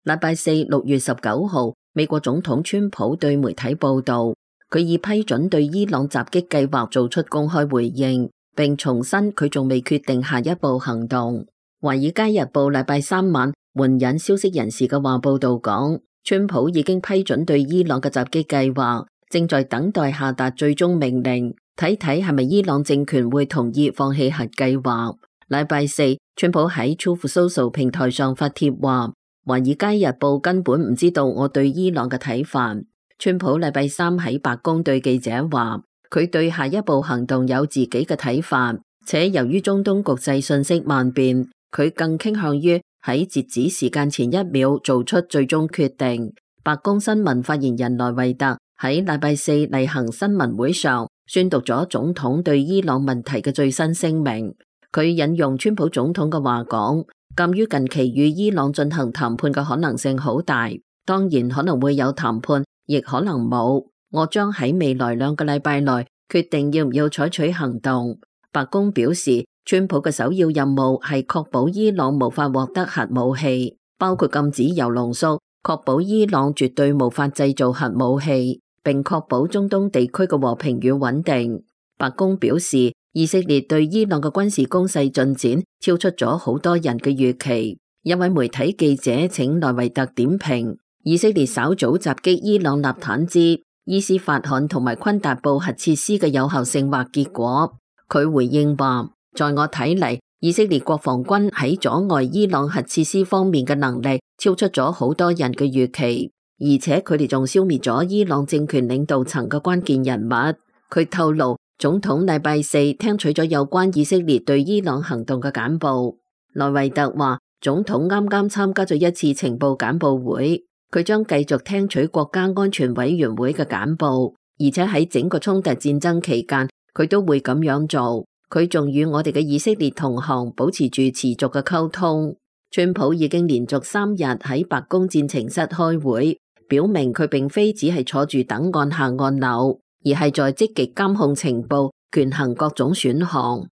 禮拜四6月19號，美國總統川普對媒體報道，佢已批准對伊朗襲擊計劃做出公開回應，並重申佢仲未決定下一步行動。華爾街日報禮拜三晚援引消息人士嘅話報道講，川普已經批准對伊朗嘅襲擊計劃，正在等待下達最終命令，睇睇係咪伊朗政權會同意放棄核計劃。禮拜四，川普喺 Truth Social 平台上發帖話，華爾街日報根本唔知道我對伊朗嘅睇法。川普禮拜三喺白宮對記者話，佢對下一步行動有自己嘅睇法，且由於中東局勢瞬息萬變，佢更傾向於喺截止時間前一秒做出最終決定。白宮新聞發言人萊維特喺禮拜四例行新聞會上宣讀咗總統對伊朗問題嘅最新聲明。佢引用川普總統嘅話講，鑒於近期與伊朗進行談判嘅可能性好大，當然可能會有談判，亦可能冇。我將喺未來2個禮拜內決定要唔要採取行動。白宮表示，川普嘅首要任務係確保伊朗無法獲得核武器，包括禁止鈾濃縮，確保伊朗絕對無法製造核武器，並確保中東地區嘅和平與穩定。白宮表示，以色列對伊朗嘅軍事攻勢進展超出咗好多人嘅預期。一位媒體記者請萊維特點評以色列稍早襲擊伊朗納坦茲、伊斯法罕同埋昆達布核設施嘅有效性或結果。佢回應話，在我睇嚟，以色列國防軍喺阻礙伊朗核設施方面嘅能力超出咗好多人嘅預期，而且佢哋仲消滅咗伊朗政權領導層嘅關鍵人物。佢透露，總統禮拜四聽取咗有關以色列對伊朗行動嘅簡報。萊維特話，總統啱啱參加咗一次情報簡報會，佢將繼續聽取國家安全委員會嘅簡報，而且喺整個衝突戰爭期間，佢都會咁樣做。佢仲與我哋嘅以色列同行保持住持續嘅溝通。川普已經連續3日喺白宮戰情室開會，表明佢並非只係坐住等按下按鈕，而係在積極監控情報，權衡各種選項。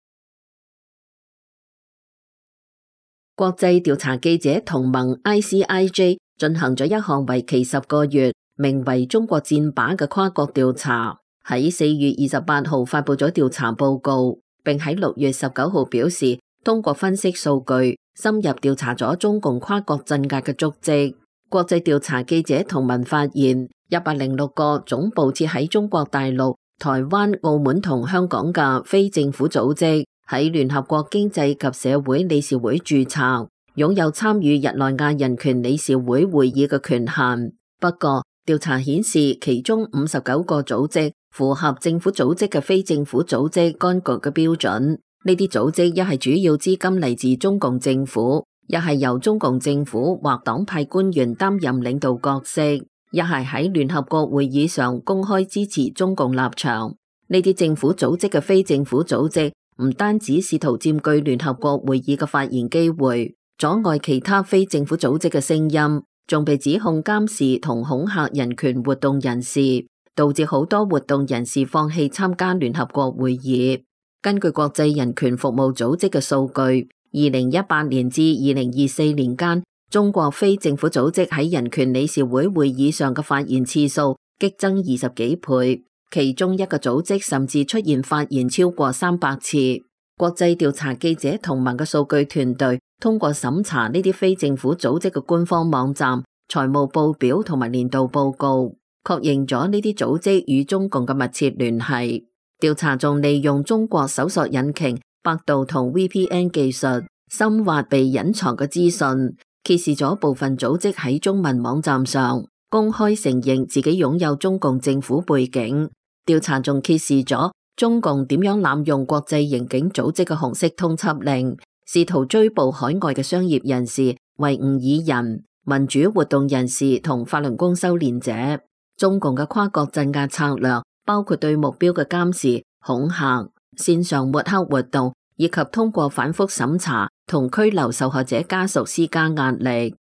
國際調查記者同盟 ICIJ 進行咗一項為期10個月，名為中國戰靶嘅跨國調查，喺4月28號發佈咗調查報告，並喺6月19號表示，通過分析數據，深入調查咗中共跨國鎮壓嘅足跡。國際調查記者同盟發現，106個總部設喺中國大陸、台灣、澳門同香港嘅非政府組織喺聯合國經濟及社會理事會註冊，擁有參與日內瓦人權理事會會議嘅權限。不過，調查顯示其中59個組織符合政府組織嘅非政府組織幹局嘅標準。呢啲組織一係主要資金嚟自中共政府，一係由中共政府或黨派官員擔任領導角色，一係喺聯合國會議上公開支持中共立場。呢啲政府組織嘅非政府組織唔單止試圖佔據聯合國會議嘅發言機會，阻礙其他非政府組織嘅聲音，仲被指控監視同恐嚇人權活動人士，導致好多活動人士放棄參加聯合國會議。根據國際人權服務組織嘅數據，2018年至2024年間，中國非政府組織喺人權理事會會議上嘅發言次數激增20幾倍，其中一個組織甚至出現發言超過300次。國際調查記者同盟嘅數據團隊通過審查呢啲非政府組織嘅官方網站、財務報表同埋年度報告，確認咗呢啲組織與中共嘅密切聯繫。調查仲利用中國搜索引擎百度同 VPN 技術，深挖被隱藏嘅資訊，揭示咗部分組織喺中文網站上公開承認自己擁有中共政府背景。調查仲揭示咗中共點樣濫用國際刑警組織嘅紅色通緝令，試圖追捕海外嘅商業人士、維吾爾人、民主活動人士同法輪功修煉者。中共嘅跨國鎮壓策略包括對目標嘅監視、恐嚇、線上抹黑活動，以及通過反覆審查同拘留受害者家屬施加壓力。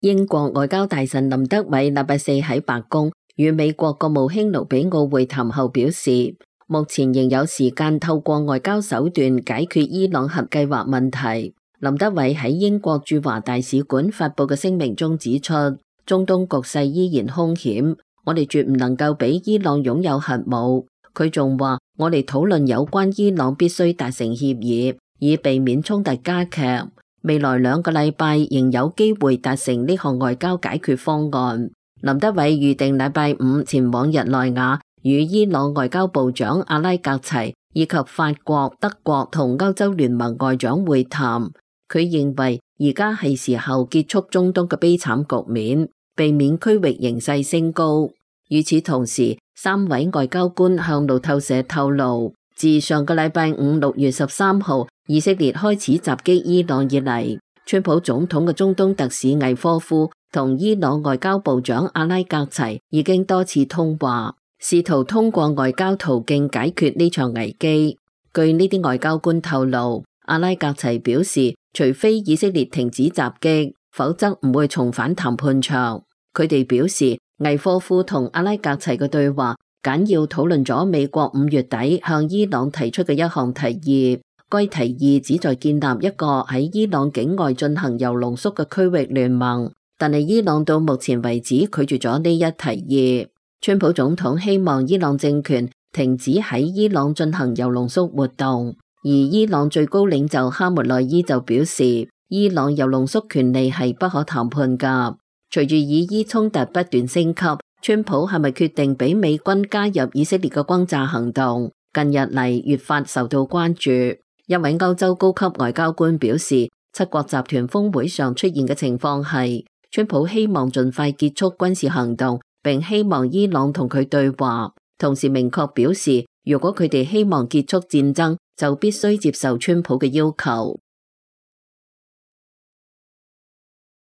英國外交大臣林德偉禮拜四喺白宮與美國國務卿盧比奧會談後表示，目前仍有時間透過外交手段解決伊朗核計劃問題。林德偉喺英國駐華大使館發佈嘅聲明中指出，中東局勢依然兇險，我哋絕唔能夠俾伊朗擁有核武。佢仲話，我哋討論有關伊朗必須達成協議，以避免衝突加劇。未來2個禮拜仍有機會達成呢項外交解決方案。林德偉預定禮拜5前往日內瓦，與伊朗外交部長阿拉格齊以及法國、德國同歐洲聯盟外長會談。佢認為而家係時候結束中東嘅悲慘局面，避免區域形勢升高。與此同時，3位外交官向路透社透露，自上個禮拜5 6月13號以色列開始襲擊伊朗以嚟，川普總統嘅中東特使魏科夫同伊朗外交部長阿拉格齊已經多次通話，試圖通過外交途徑解決呢場危機。據呢啲外交官透露，阿拉格齊表示，除非以色列停止襲擊，否則唔會重返談判場。佢哋表示，魏科夫同阿拉格齊嘅對話簡要討論咗美國5月底向伊朗提出嘅一項提議。該提議旨在建立一個喺伊朗境外進行鈾濃縮嘅區域聯盟，但係伊朗到目前為止拒絕咗呢一提議。川普總統希望伊朗政權停止喺伊朗進行鈾濃縮活動。而伊朗最高領袖哈梅內伊就表示，伊朗鈾濃縮權利係不可談判㗎。隨住以伊衝突不斷升級，川普係咪決定俾美軍加入以色列嘅轟炸行動，近日嚟越發受到關注。一位歐洲高級外交官表示，7國集團峰會上出現嘅情況係，川普希望盡快結束軍事行動，並希望伊朗同佢對話，同時明確表示，如果佢哋希望結束戰爭，就必須接受川普嘅要求。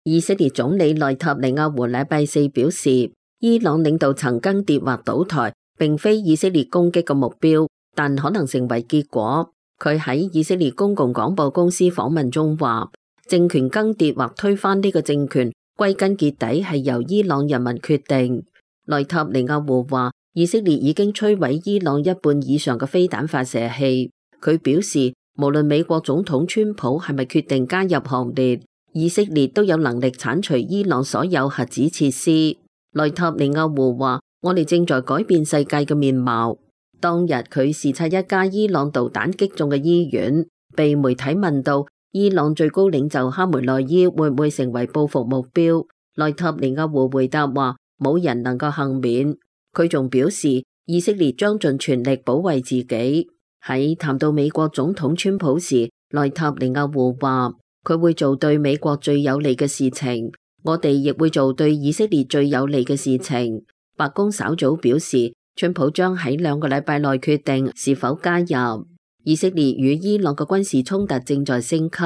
以色列總理內塔尼亞胡禮拜4表示，伊朗領導層更迭或倒台並非以色列攻擊嘅目標，但可能成為結果。佢喺以色列公共廣播公司訪問中話，政權更迭或推翻呢個政權，歸根結底係由伊朗人民決定。內塔尼亞胡話，以色列已經摧毀伊朗1半以上嘅飛彈發射器。佢表示，無論美國總統川普係咪決定加入行列，以色列都有能力剷除伊朗所有核子設施。內塔尼亞胡話，我哋正在改變世界嘅面貌。當日佢視察一家伊朗導彈擊中嘅醫院，被媒體問到伊朗最高領袖哈梅內伊會唔會成為報復目標，內塔尼亞胡回答話，冇人能夠幸免。佢仲表示，以色列將盡全力保衛自己。喺談到美國總統川普時，內塔尼亞胡話，佢會做對美國最有利嘅事情，我哋亦會做對以色列最有利嘅事情。白宮稍早表示，川普將喺2個禮拜內決定是否加入。以色列與伊朗嘅軍事衝突正在升級。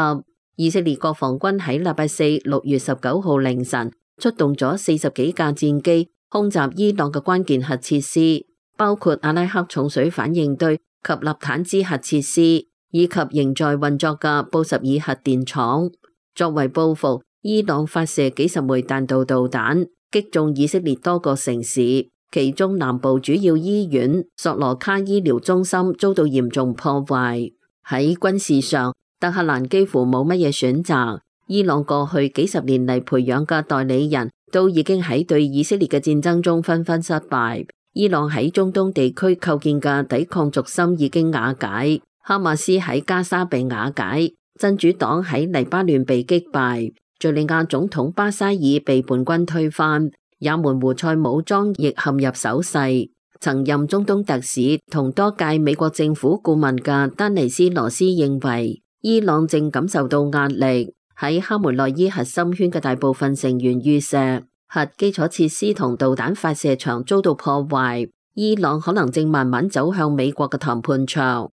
以色列國防軍喺禮拜4 6月19號凌晨出動咗40幾架戰機，空襲伊朗嘅關鍵核設施，包括阿拉克重水反應堆及納坦茲核設施，以及仍在運作嘅布什爾核電廠。作為報復，伊朗發射幾十枚彈道導彈，擊中以色列多個城市，其中南部主要醫院索羅卡醫療中心遭到嚴重破壞。喺軍事上，德黑蘭幾乎冇乜嘢選擇。伊朗過去幾十年嚟培養嘅代理人都已經喺對以色列嘅戰爭中紛紛失敗。伊朗喺中東地區構建嘅抵抗軸心已經瓦解，哈馬斯喺加沙被瓦解，真主黨喺黎巴嫩被擊敗，敘利亞總統巴沙爾被叛軍推翻，也門胡塞武裝亦陷入守勢。曾任中東特使同多屆美國政府顧問嘅丹尼斯羅斯認為，伊朗正感受到壓力，喺哈梅內伊核心圈嘅大部分成員遇射，核基礎設施同導彈發射場遭到破壞，伊朗可能正慢慢走向美國嘅談判場。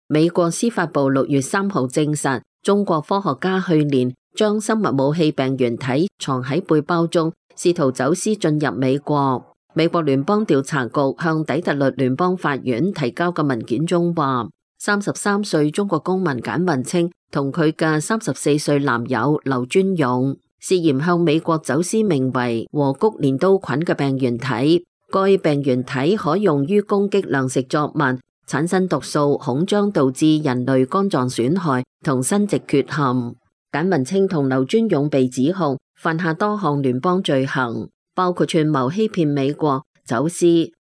美國司法部6月3號證實，中國科學家去年將生物武器病原體藏喺背包中，試圖走私進入美國。美國聯邦調查局向底特律聯邦法院提交嘅文件中話，33歲中國公民簡運清同佢嘅34歲男友劉尊勇涉嫌向美國走私名為和谷連刀菌嘅病原體。該病原體可用於攻擊糧食作物產生毒素，恐將導致人類肝臟損害同生殖缺陷。簡文清同劉尊勇被指控犯下多項聯邦罪行，包括串謀欺騙美國、走私、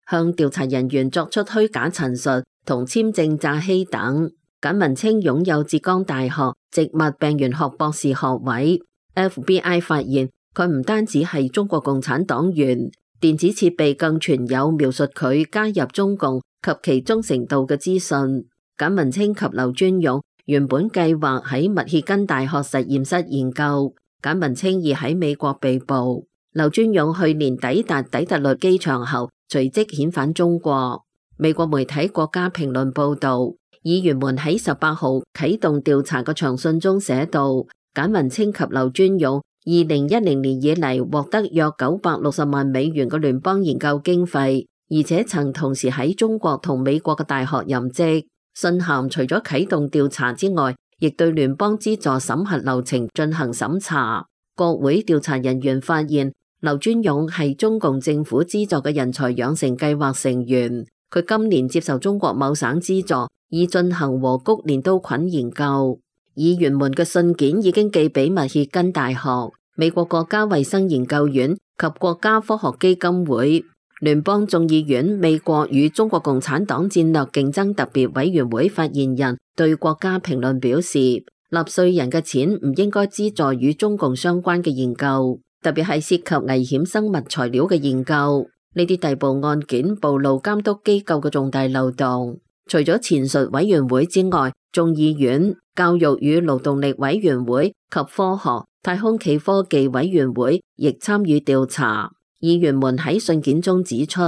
向調查人員作出虛假陳述同簽證詐欺等。簡文清擁有浙江大學植物病原學博士學位。FBI 發現佢唔單止係中國共產黨員，電子設備更存有描述佢加入中共及其忠誠度嘅資訊。簡文清及劉尊勇原本計劃喺密歇根大學實驗室研究，簡文清已喺美國被捕。劉尊勇去年抵達底特律機場後，隨即遣返中國。美國媒體《國家評論》報道，議員們喺18號啟動調查嘅長信中寫道，簡文清及劉尊勇2010年以嚟獲得約960萬美元嘅聯邦研究經費，而且曾同時喺中國同美國嘅大學任職。信函除咗啟動調查之外，亦對聯邦資助審核流程進行審查。國會調查人員發現，劉尊勇係中共政府資助嘅人才養成計劃成員，佢今年接受中國某省資助，以進行和谷鐮刀菌研究。議員們嘅信件已經寄俾密歇根大學、美國國家衛生研究院及國家科學基金會。聯邦眾議院美國與中國共產黨戰略競爭特別委員會發言人對國家評論表示，納稅人嘅錢唔應該資助與中共相關嘅研究，特別係涉及危險生物材料嘅研究。呢啲逮捕案件暴露監督機構嘅重大漏洞。除咗前述委員會之外，眾議院、教育與勞動力委員會及科學、太空暨科技委員會亦參與調查。議員們喺信件中指出，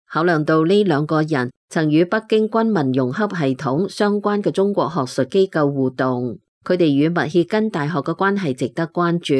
考量到呢兩個人曾與北京軍民融合系統相關嘅中國學術機構互動，佢哋與密歇根大學嘅關係值得關注。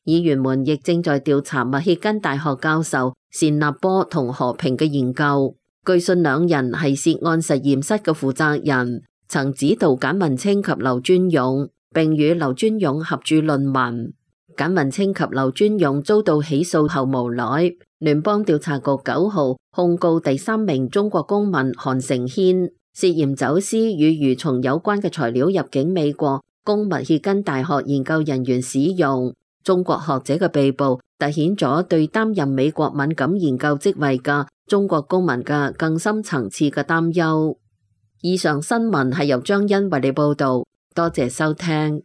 議員們亦正在調查密歇根大學教授單立波同何平嘅研究。據信兩人係涉案實驗室嘅負責人，曾指導簡文清及劉尊勇，並與劉尊勇合著論文。簡文清及劉尊勇遭到起訴後無奈，聯邦調查局9號控告第3名中國公民韓承軒涉嫌走私與蠕蟲有關嘅材料入境美國，供密歇根大學研究人員使用。中國學者嘅被捕凸顯咗對擔任美國敏感研究職位嘅中國公民嘅更深層次嘅擔憂。以上新聞係由張欣為你報道，多謝收聽。